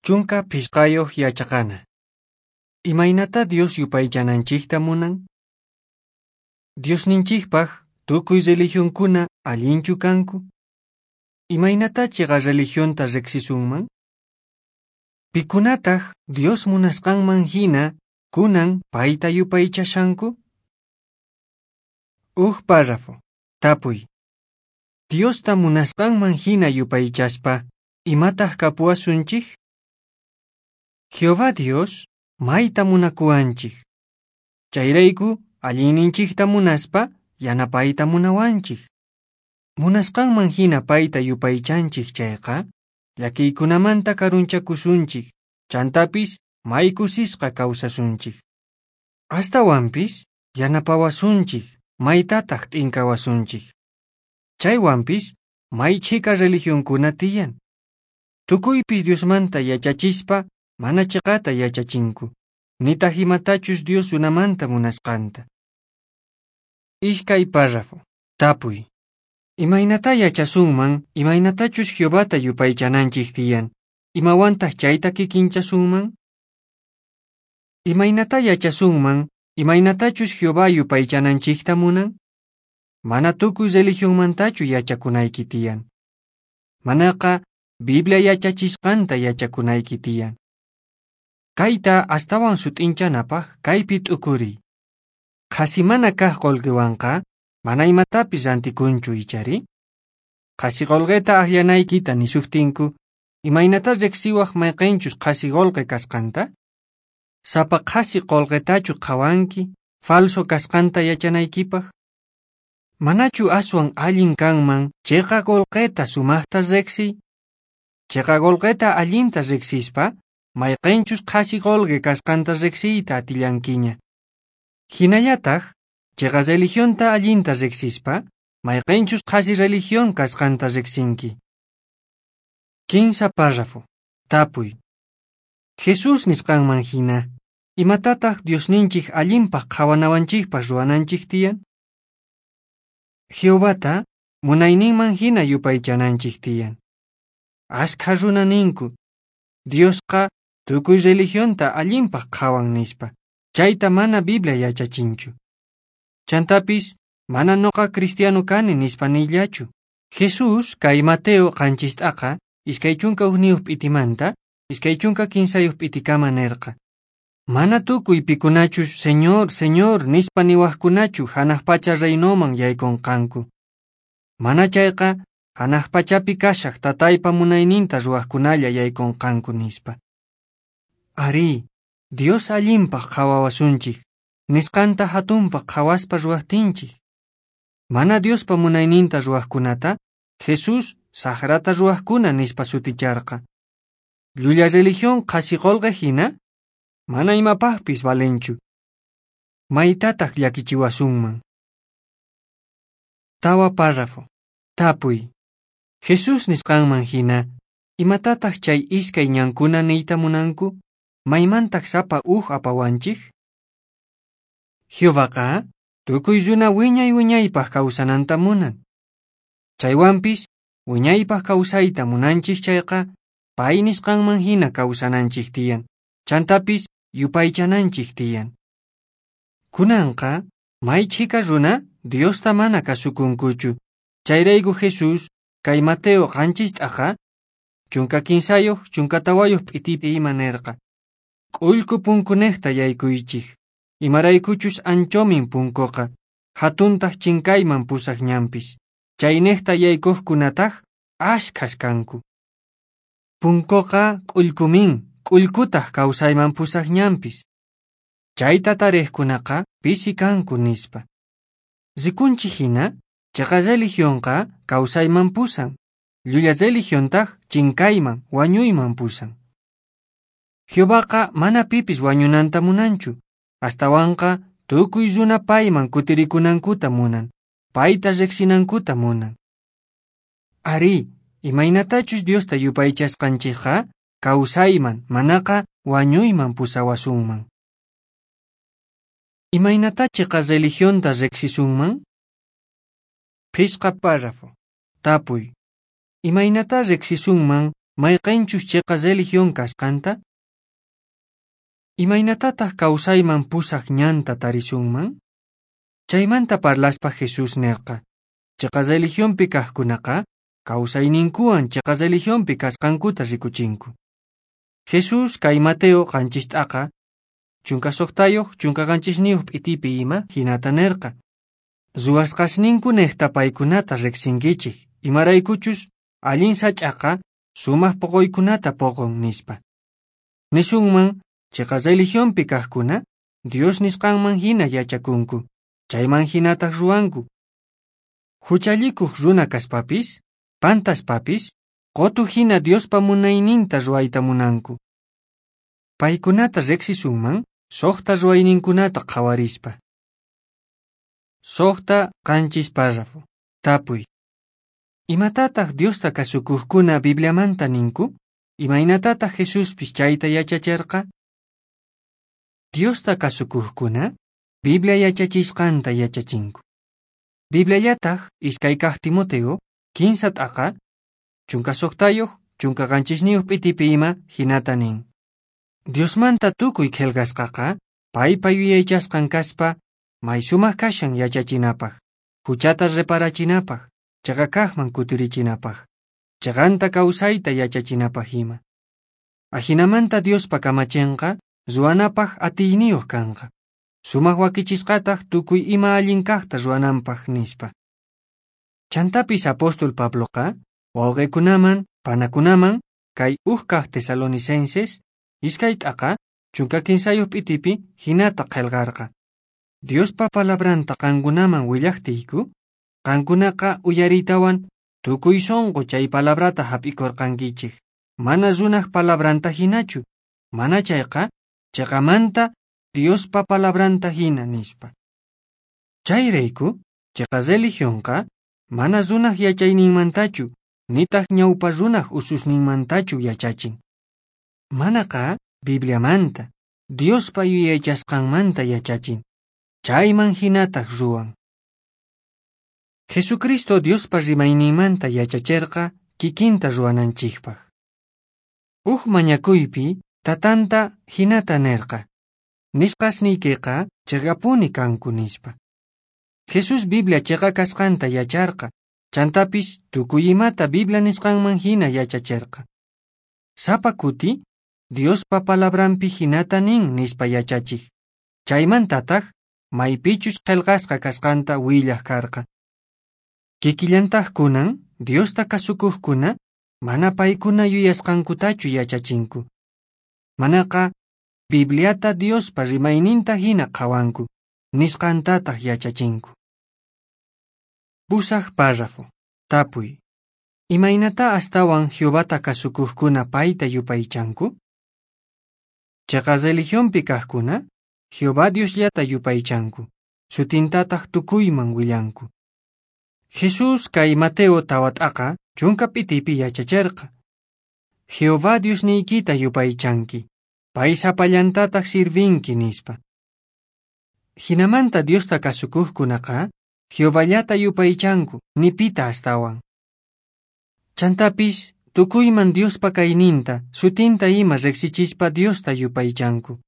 15 yachaqana. Imaynata Dios yupaychananchikta munan? Diosninchikpaq tukuy religionkuna allinchu kanku? Imaynata chiqa religionta riqsisunman? Pikunataq Dios munasqanman hina kunan payta yupaychashanku? Uj párrafo. Tapuy. Diosta munasqanman hina yupaychaspa, imataq kapuwasunchik? Jehová Dios mayta munakuwanchik. Chayrayku allinninchikta munaspa yanapayta munawanchik. Munasqanman hina payta yupaychanchik chayqa, llakiykunamanta karunchakusunchik, chantapis may kusisqa kawsasunchik. Astawanpis yanapawasunchik, maytataq t'inkawasunchik. Chaywanpis may chhika religionkuna tiyan. Tukuypis Diosmanta yachachispa mana chiqata yachachinku, nitaq imatachus Dios runamanta munasqanta. Iskay párrafo. Tapuy. Imaynata yachasunman, imaynatachus Jehovata yupaychananchik tiyan, imawantaq chayta kikinchasunman? Imaynata yachasunman, imaynatachus Jehová yupaychananchikta munan? Mana tukuy religionmantachu yachakunayki tiyan. Manaqa Biblia yachachisqanta yachakunayki tiyan. Kayta astawan sut'inchanapaq kaypi t'ukuriy. Qhasi mana kaq qullqiwanqa mana imatapis rantikunchu ichari? Qhasi qullqita akllanaykita nisuqtinku, imaynata riqsiwaq mayqinchus qhasi qullqi kasqanta? Sapa qhasi qullqitachu qhawanki falso kasqanta yachanaykipaq? Manachu aswan allin kanman chiqa qullqita sumaqta riqsiy? Chiqa qullqita allinta riqsispa, mayqinchus qhasi qullqi kasqanta riqsiyta atillankiña. Hinallataq, chiqa religionta allinta riqsispa, mayqinchus qhasi religión kasqanta riqsinki. 15 párrafo. Tapuy. Jesús nisqanman hina, imatataq Diosninchik allinpaq qhawanawanchikpaq ruwananchik tiyan? Jehovata munayninman hina yupaychananchik tiyan. Ashkha runa ninku, Diosqa tukuy religionta allinpaq qhawan nispa, chayta mana Biblia yachachinchu. Chantapis mana noqa cristiano kani nispa niyllachu. Jesús kay Mateo 7 21 p'itimanta 23 p'itikama nirqa. Mana tukuy pikunachus Señor, Señor nispa niwaqkunachu hanaq pacha reinoman yaykunqanku. Mana chayqa hanaq pachapi kashaq tataypa munayninta ruwaqkunalla yaykunqanku nispa. Arí, Dios allinpaq qhawawasunchik, nisqanta hatunpaq qhawaspa ruwaqtinchik. Mana Diospa munayninta ruwaqkunata, Jesús saqrata ruwaqkuna nispa suticharqa. Llulla religión qhasi qullqi hina, mana imapaqpis valenchu. Maytataq llakichiwasunman. 4 párrafo. Tapuy. Jesús nisqanman hina, imatataq chay iskay ñankuna niyta munanku? Maymantaq sapa uj apawanchik? Jehovaqa tukuy runa wiñay wiñaypaq kawsananta munan. Chaywanpis wiñaypaq kawsayta munanchik chayqa, pay nisqanman hina kawsananchik tiyan, chantapis yupaychananchik tiyan. Kunanqa may chhika runa Diosta mana kasukunkuchu. Chayrayku Jesús kay Mateo 7 13 14 p'itipi ima nirqa. K'ullku punkunejta yaykuychik, imaraykuchus anchomin punkuqa, hatuntaq chinkayman pusaq ñanpis, chaynejta yaykuqkunataq ashkhas kanku. Punkuqa k'ullkumin, k'ullkutaq kawsayman pusaq ñanpis. Chayta tariqkunaqa pisi kanku nispa. Rikunchik hina, chiqa religionqa kawsayman pusan, llulla religiontaq chinkayman, wañuyman pusan. Jehovaqa mana pipis wañunanta munanchu, astawanqa tukuy runa payman kutirikunankuta munan, payta riqsinankuta munan. Arí, imaynatachus Diosta yupaychasqanchikqa kawsayman, manaqa wañuyman pusawasunman. Imaynata chiqa religionta riqsisunman? 5 párrafo. Tapuy. Imaynata riqsisunman mayqinchus chiqa religión kasqanta? Imaynatataq kawsayman pusaq ñanta tarisunman? Chaymanta parlaspa Jesús nirqa, chiqa religionpi kaqkunaqa kawsayninkuwan chiqa religionpi kasqankuta rikuchinku. Jesús kay Mateo 7 t'aqa 16 17 p'itipi ima hinata nirqa. Ruwasqasninku niqta paykunata riqsinkichik, imaraykuchus allin sach'aqa sumaq puquykunata puqun nispa. Nisunman chiqa religionpi kaqkuna Dios nisqanman hina yachakunku, chayman hinataq ruwanku. Huchallikuq runa kaspapis, pantaspapis, qutu hina Diospa munayninta ruwayta munanku. Paykunata riqsisunman suqta ruwayninkunata qhawarispa. 6 7 párrafo. Tapuy. Imatataq Diosta kasukuqkuna Bibliamanta ninku? Imaynatataq Jesuspis chayta yachachirqa? Diosta kasukuqkuna Biblia yachachisqanta yachachinku. Bibliallataq 2 kaq Timoteo 15 t'aqa 16 17 p'itipi ima hinata nin. Diosmanta tukuy qillqasqaqa paypa yuyaychasqan kaspa may sumaq kashan yachachinapaq, huchata reparachinapaq, chiqa kaqman kutirichinapaq, chiqanta kawsayta yachachinapaq ima. Ajinamanta Diospa kamachinqa ruwanapaq atiyniyuq kanqa, sumaq wakichisqataq tukuy ima allin kaqta ruwananpaq nispa. Chantapis apóstol Pabloqa wawqikunaman, panakunaman kay uj kaq Tesalonicenses 2 t'aqa 13 p'itipi hinata qillqarqa. Diospa palabranta qankunaman willaqtiyku, qankunaqa uyariytawan tukuy sunqu chay palabrata hap'ikurqankichik, mana runaq palabranta hinachu, mana chayqa chiqamanta Diospa palabranta hina nispa. Chayrayku, chiqa religionqa mana runaq yachayninmantachu, nitaq ñawpa runaq ususninmantachu yachachin. Manaqa Bibliamanta, Diospa yuyaychasqanmanta yachachin, chayman hinataq ruwan. Jesucristo Diospa rimayninmanta yachachirqa kikinta ruwananchikpaq. Uj mañakuypi tatanta hinata nirqa, nisqasniykiqa chiqapuni kanku nispa. Jesús Biblia chiqa kasqanta yacharqa, chantapis tukuy imata Biblia nisqanman hina yachachirqa. Sapa kuti Diospa palabranpi hinata nin nispa yachachik, chaymantataq maypichus qillqasqa kasqanta willaq karqa. Kikillantaq kunan Diosta kasukuqkuna mana paykuna yuyasqankutachu yachachinku. Manaqa Bibliata Diospa rimayninta hina qhawanku, nisqantataq yachachinku. 8 párrafo. Tapuy. Imaynata astawan Jehovata kasukuqkuna payta yupaychanku? Chiqa religionpi kaqkuna Jehová Diosllata yupaychanku, sutintataq tukuyman willanku. Jesús kay Mateo 4 t'aqa 10 p'itipi yachachirqa. Jehová Diosniykita yupaychanki, pay sapallantataq sirvinki nispa. Hinamanta Diosta kasukuqkunaqa Jehovallata yupaychanku, ni pita astawan. Chantapis tukuyman Diospa kayninta, sutinta ima riqsichispa Diosta yupaychanku.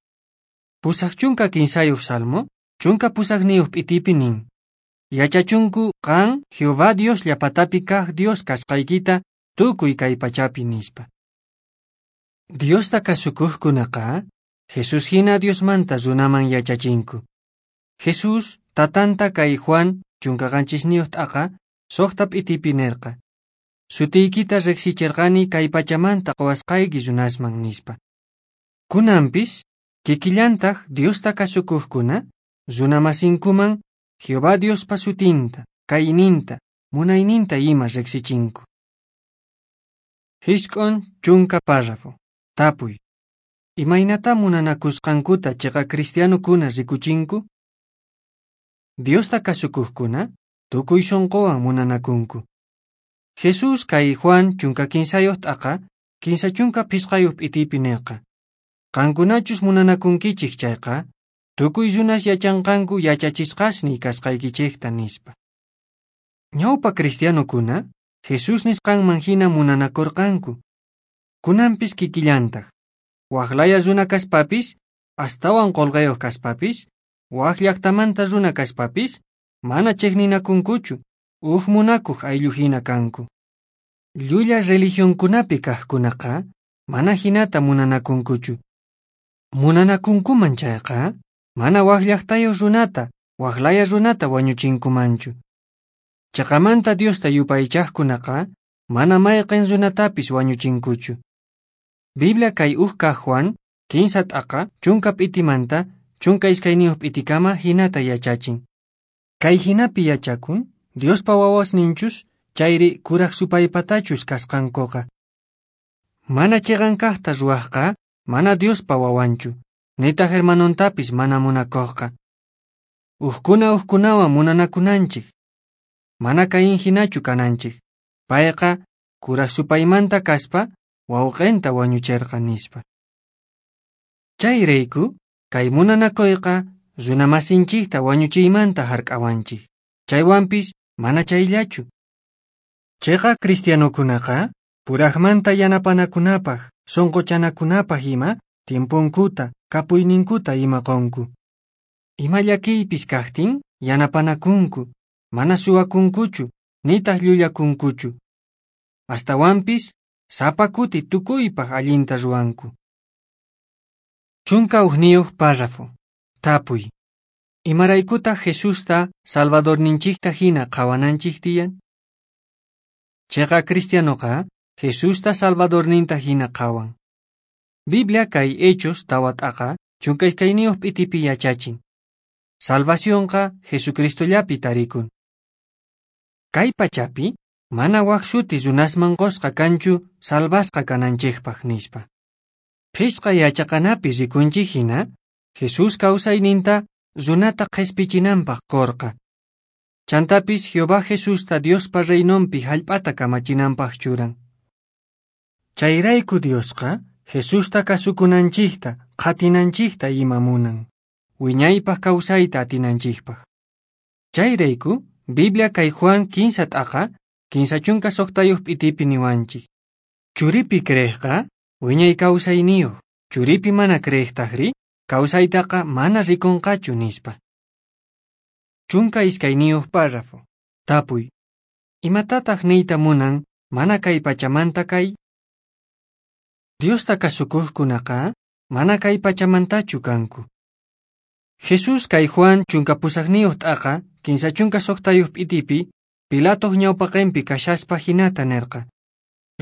83 Salmo, 18 p'itipi nin. Yachachunku qan Jehová Dios llapatapi kaq Dios kasqaykita tukuy kay pachapi nispa. Diosta kasukuqkunaqa Jesús hina Diosmanta runaman yachachinku. Jesús tatanta kay Juan 17 t'aqa 6 p'itipi nirqa. Sutiykita riqsichirqani kay pachamanta quwasqayki runasman nispa. Kunanpis kikillantaq Diosta kasukuqkuna runamasinkuman Jehová Diospa sutinta, kayninta, munayninta ima riqsichinku. 90 párrafo. Tapuy. Imaynata munanakusqankuta chiqa cristianokuna rikuchinku? Diosta kasukuqkuna tukuy sunquwan munanakunku. Jesús kay Juan 15 t'aqa 35 p'itipi nirqa. Qankunachus munanakunkichik chayqa, tukuy runas yachanqanku yachachisqasniy kasqaykichikta nispa. Ñawpa cristianokuna Jesús nisqanman hina munanakurqanku. Kunanpis kikillantaq. Wak laya runa kaspapis, astawan qolqayuq kaspapis, wak llaqtamanta runa kaspapis, mana chiqninakunkuchu, uj munakuq ayllu hina kanku. Llulla religionkunapi kaqkunaqa mana hinata munanakunkuchu. Munanakunkuman chayqa, mana wak llaqtayuq runata, wak laya runata wañuchinkumanchu. Chiqamanta Diosta yupaychaqkunaqa mana mayqin runatapis wañuchinkuchu. Biblia kay uj kaq Juan, 15 t'aqa, 10 p'itimanta, 12 p'itikama hinata yachachin. Kay hinapi yachakun, Diospa wawasninchus, chayri kuraq supaypatachus kasqankuqa. Mana chiqan kaqta ruwaqqa, mana Diospa wawanchu, nitaq hermanontapis mana munakuqqa. Ujkuna ujkunawan munanakunanchik. Mana Caín hinachu kananchik. Payqa kuraq supaymanta kaspa, wawqinta wañucherqa nispa. Chayrayku, kay munanakuyqa runamasinchikta wañuchiymanta hark'awanchik. Chaywanpis mana chayllachu. Chiqa cristianokunaqa puraqmanta yanapanakunapaq, sunquchanakunapaq ima tiemponkuta, kapuyninkuta ima qunku. Ima llakiypis kaqtin yanapanakunku, mana suwakunkuchu, nitaq llullakunkuchu. Astawanpis sapa kuti tukuypaq allinta ruwanku. 11 párrafo. Tapuy. Imaraykutaq Jesusta Salvadorninchikta hina qhawananchik tiyan? Chiqa cristianoqa Jesusta Salvadorninta hina qhawan. Biblia kay Hechos 4 t'aqa 12 p'itipi yachachin. Salvacionqa Jesucristollapi tarikun. Kay pachapi mana wak shuti runasman qusqa kanchu salvasqa kananchikpaq nispa. Phisqa yachaqanapi rikunchik hina, Jesús kawsayninta runata qhispichinanpaq qurqa. Chantapis Jehová Jesusta Diospa reinonpi hallp'ata kamachinanpaq churan. Chayrayku Diosqa Jesusta kasukunanchikta, qhatinanchikta ima munan, wiñaypaq kawsayta atinanchikpaq. Chayrayku Biblia kay Juan 15 t'aqa, 56 p'itipi niwanchik. Churipi creeqqa wiñay kawsayniyuq, churipi mana creeqtaqri kawsaytaqa mana rikunqachu nispa. 12 párrafo. Tapuy. Imatataq niyta munan mana kay pachamanta kay? Diosta kasukuqkunaqa mana kay pachamantachu kanku. Jesús kay Juan 18 t'aqa, 56 p'itipi, Pilatoq ñawpaqinpi kashaspa hinata nirqa.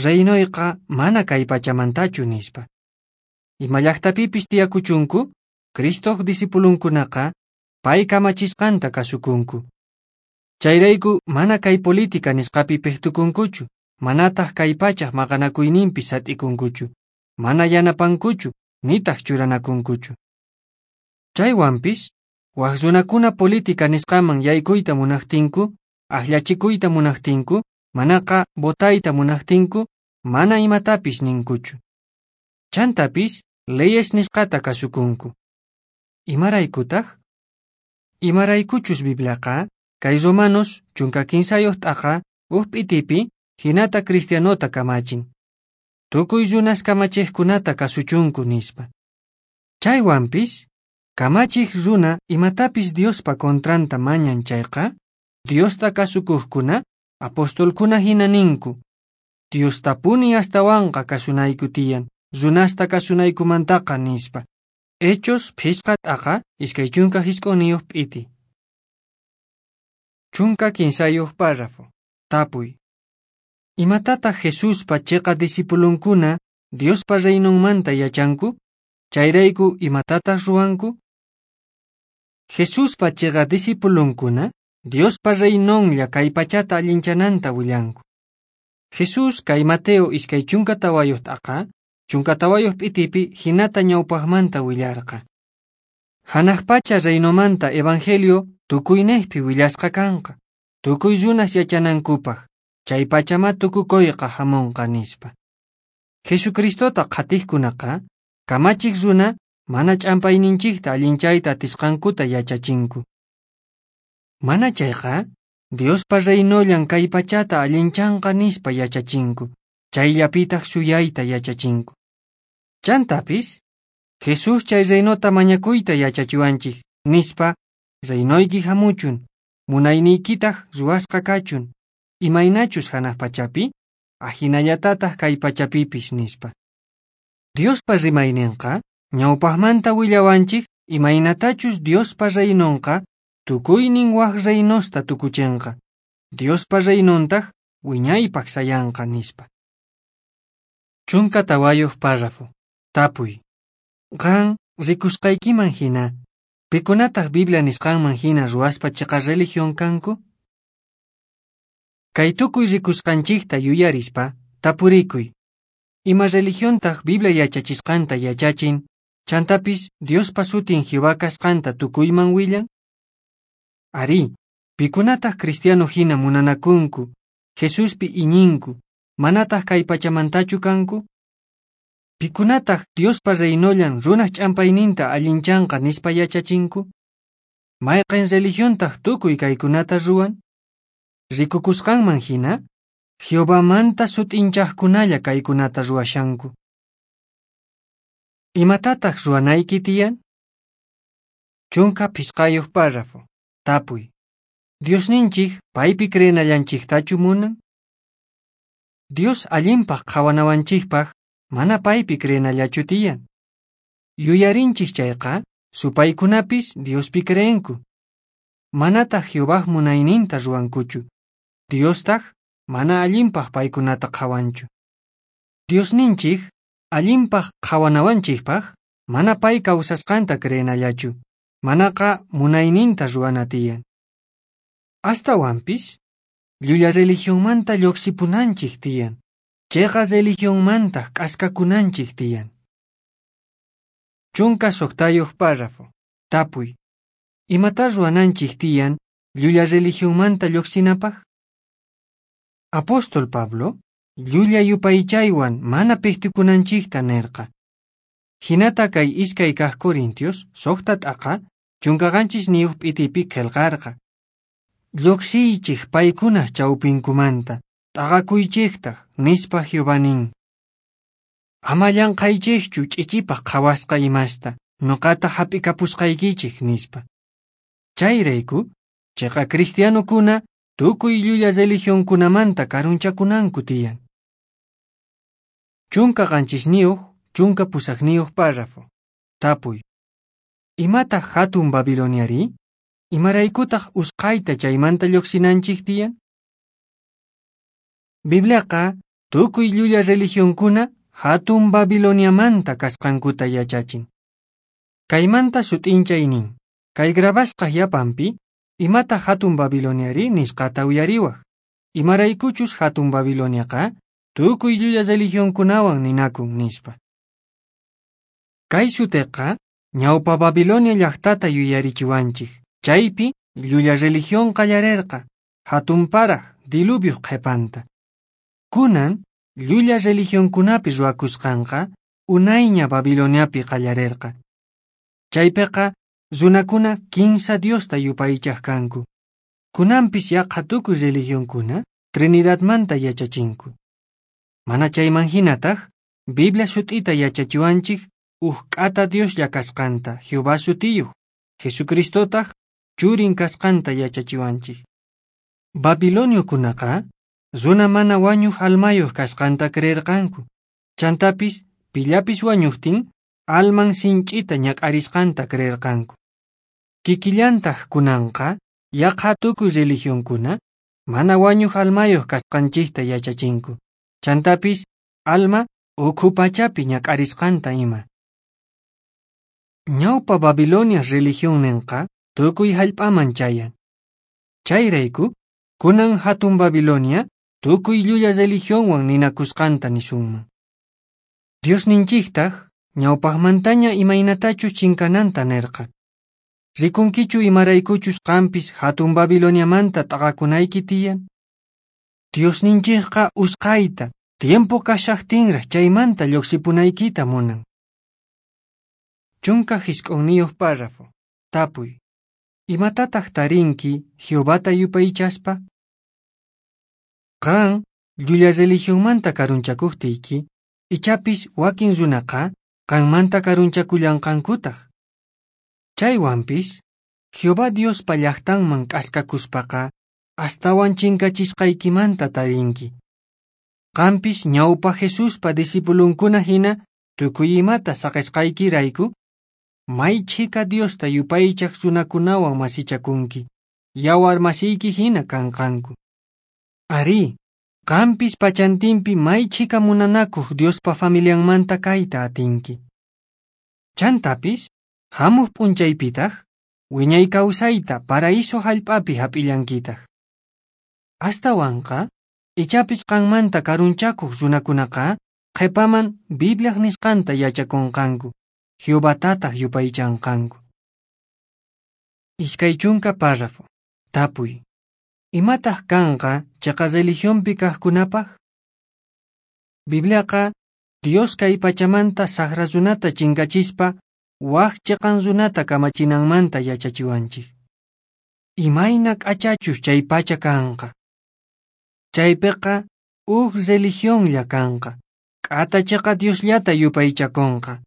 Reinoyqa mana kay pachamantachu nispa. Ima llaqtapipis tiyakuchunku, Cristoq discipulunkunaqa pay kamachisqanta kasukunku. Chayrayku mana kay política nisqapi piqtukunkuchu, manataq kay pachaq maqanakuyninpi sat'ikunkuchu, mana yanapankuchu, nitaq churanakunkuchu. Chaywanpis, wak runakuna política nisqaman yaykuyta munaqtinku, akllachikuyta munaqtinku, manaqa votayta munaqtinku, mana imatapis ninkuchu. Chantapis, leyes nisqata kasukunku. Imaraykutaq? Imaraykuchus Bibliaqa, kay Romanos 15 t'aqa, uj p'itipi, hinata cristianota kamachin. Tukuy runas kamachiqkunata kasuchunku nispa. Chaywanpis, kamachiq runa imatapis Diospa kontranta mañan chayqa, Diosta kasukuqkuna, apostolkuna hina ninku. Diostapuni astawanqa kasunayku tiyan, runasta kasunaykumantaqa nispa. Hechos 5 t'aqa, 29 p'iti. 15 párrafo. Tapuy. Imatataq Jesuspa chiqa discipulunkuna Diospa reinonmanta yachanku? Chayrayku imatataq ruwanku? Jesuspa chiqa discipulunkuna Diospa reinonlla kay pachata allinchananta willanku. Jesús kay Mateo 24 t'aqa, 14 p'itipi hinata ñawpaqmanta willarqa. Hanaq pacha reinomanta evangelio tukuynejpi willasqa kanqa, tukuy runas yachanankupaq, chay pachama tukukuyqa hamunqa nispa. Jesucristota qhatiqkunaqa, kamachiq runa mana ch'ampayninchikta allinchayta atisqankuta yachachinku. Mana chayqa, Diospa reinollan kay pachata allinchanqa nispa yachachinku, chayllapitaq suyayta yachachinku. Chantapis, Jesús chay reinota mañakuyta yachachiwanchik, nispa, reinoyki hamuchun, munayniykitaq ruwasqa kachun, imaynachus hanaq pachapi, ajinallatataq kay pachapipis, nispa. Diospa rimayninqa, ñawpaqmanta willawanchik imaynatachus Diospa reinonqa tukuynin wak reinosta tukuchinqa, Diospa reinontaq wiñaypaq sayanqa, nispa. 14 párrafo. Tapuy. Qan rikusqaykiman hina, pikunataq Biblia nisqanman hina ruwaspa chiqa religión kanku? Kay tukuy rikusqanchikta yuyarispa, tapurikuy. Ima religiontaq Biblia yachachisqanta yachachin, chantapis Diospa sutin Jehová kasqanta tukuyman willan? Arí, pikunataq cristiano hina munanakunku, Jesuspi iñinku, manataq kay pachamantachu kanku? Pikunataq Diospa reinollan runaq ch'ampayninta allinchanqa nispa yachachinku? Mayqin religiontaq tukuy kaykunata ruwan? Rikukusqanman hina, Jehovamanta sut'inchaqkunalla kaykunata ruwashanku. Imatataq ruwanayki tiyan? 15 párrafo. Tapuy. Diosninchik paypi creenallanchiktachu munan? Dios allinpaq qhawanawanchikpaq mana paypi creenallachu tiyan. Yuyarinchik chayqa, supaykunapis Diospi creenku. Manataq Jehovaj munayninta ruwankuchu. Diostaq mana allinpaq paykunata qhawanchu. Diosninchik allinpaq qhawanawanchikpaq mana pay kawsasqanta creenallachu, manaqa munayninta ruwana tiyan. Astawanpis, llulla religionmanta lluqsipunanchik tiyan, chiqa religionmantaq k'askakunanchik tiyan. 16 párrafo. Tapuy. Imata ruwananchik tiyan llulla religionmanta lluqsinapaq? Apóstol Pablo llulla yupaychaywan mana piqtikunanchikta nirqa. Hinata kay 2 kaq Corintios 6 t'aqa 17 p'itipi qillqarqa. Lluqsiychik paykunaq chawpinkumanta, t'aqakuychiktaq, nispa Jehová nin. Ama llanqaychikchu ch'ichipaq qhawasqa imasta, nuqata hap'ikapusqaykichik, nispa. Chayrayku, chiqa cristianokuna tukuy llulla religionkunamanta karunchakunanku tiyan. 17 18 párrafo. Tapuy. Imataq hatun Babiloniari? Imaraykutaq usqhayta chaymanta lluqsinanchik tiyan? Bibliaqa tukuy llulla religionkuna hatun Babiloniamanta kasqankuta yachachin. Kaymanta sut'inchay nin, kay grabasqa yapanpi, imataq hatun Babiloniari nisqata uyariwaq. Imaraykuchus hatun Babiloniaqa tukuy llulla religionkunawan ninakun, nispa. Kay sutiqa ñawpa Babilonia llaqtata yuyarichiwanchik. Chaypi llulla religión qallarerqa, hatun paraq diluvioq qhipanta. Kunan llulla religionkunapi ruwakusqanqa unayña Babiloniapi qallarerqa. Chaypiqa runakuna kinsa Diosta yupaychaq kanku. Kunanpis yaqha tukuy religionkuna Trinidadmanta yachachinku. Mana chayman hinataq, Biblia sut'ita yachachiwanchik uj k'ata Dioslla kasqanta, Jehová sutiyuq, Jesucristotaq churin kasqanta yachachiwanchik. Babiloniokunaqa runa mana wañuq almayuq kasqanta creerqanku. Chantapis pillapis wañuqtin alman sinch'ita ñak'arisqanta creerqanku. Kikillantaq kunanqa yaqha tukuy religionkuna mana wañuq almayuq kasqanchikta yachachinku. Chantapis alma ukhu pachapi ñak'arisqanta ima. Ñawpa Babilonia religionninqa tukuy hallp'aman chayan. Chayrayku, kunan hatun Babilonia tukuy llulla religionwan ninakusqanta nisunman. Diosninchiktaq ñawpaqmantaña imaynatachus chinkananta nirqa. Rikunkichu imaraykuchus qampis hatun Babiloniamanta t'aqakunayki tiyan? Diosninchikqa usqhayta tiempo kashaqtinraq chaymanta lluqsipunaykita munan. 19 párrafo. Tapuy. Imatataq tarinki Jehovata yupaychaspa? Qan Llulla religionmanta karunchakuqtiyki, ichapis wakin runaqa qanmanta karunchakullanqankutaq. Chaywanpis, Jehová Diospa llaqtanman k'askakuspaqa astawan chinkachisqaykimanta tarinki. Qampis ñawpa Jesuspa discipulunkuna hina tukuy imata saqisqaykirayku, may chhika Diosta yupaychaq runakunawan masichakunki, yawar masiyki hina kanqanku. Arí, qampis pachantinpi may chhika munanakuq Diospa familianmanta kayta atinki. Chantapis, hamuq p'unchaypitaq, wiñay kawsayta paraíso hallp'api hap'illankitaq. Astawanqa, ichapis qanmanta karunchakuq runakunaqa qhipaman Bibliaq nisqanta yachakunqanku, Jehovatataq yupaychanqanku. 20 párrafo. Tapuy. Imataq kanqa chiqa religionpi kaqkunapaq? Bibliaqa Dios kay pachamanta saqra runata chinkachispa wak chiqan runata kamachinanmanta yachachiwanchik. Imayna k'achachus chay pacha kanqa. Chaypiqa huk religionlla kanqa, k'ata chiqa Diosllata yupaychakunqa.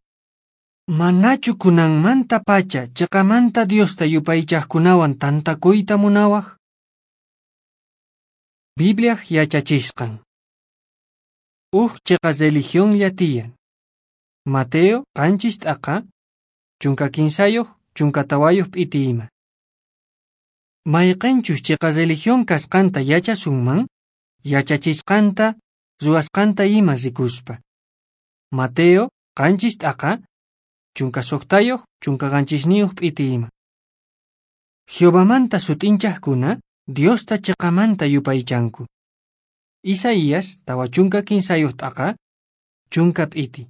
Manachu kunanmanta pacha chiqamanta Diosta yupaychaqkunawan tantakuyta munawaq? Bibliaq yachachisqan. Huk chiqa religionlla tiyan. Mateo 7 t'aqa, 13, 14 p'iti ima. Mayqinchus chiqa religión kasqanta yachasunman, yachachisqanta, ruwasqanta ima rikuspa. Mateo 7 t'aqa, 16, 17 p'iti ima. Jehovamanta sut'inchaqkuna Diosta chiqamanta yupaychanku. Isaías 43 t'aqa, 10 p'iti.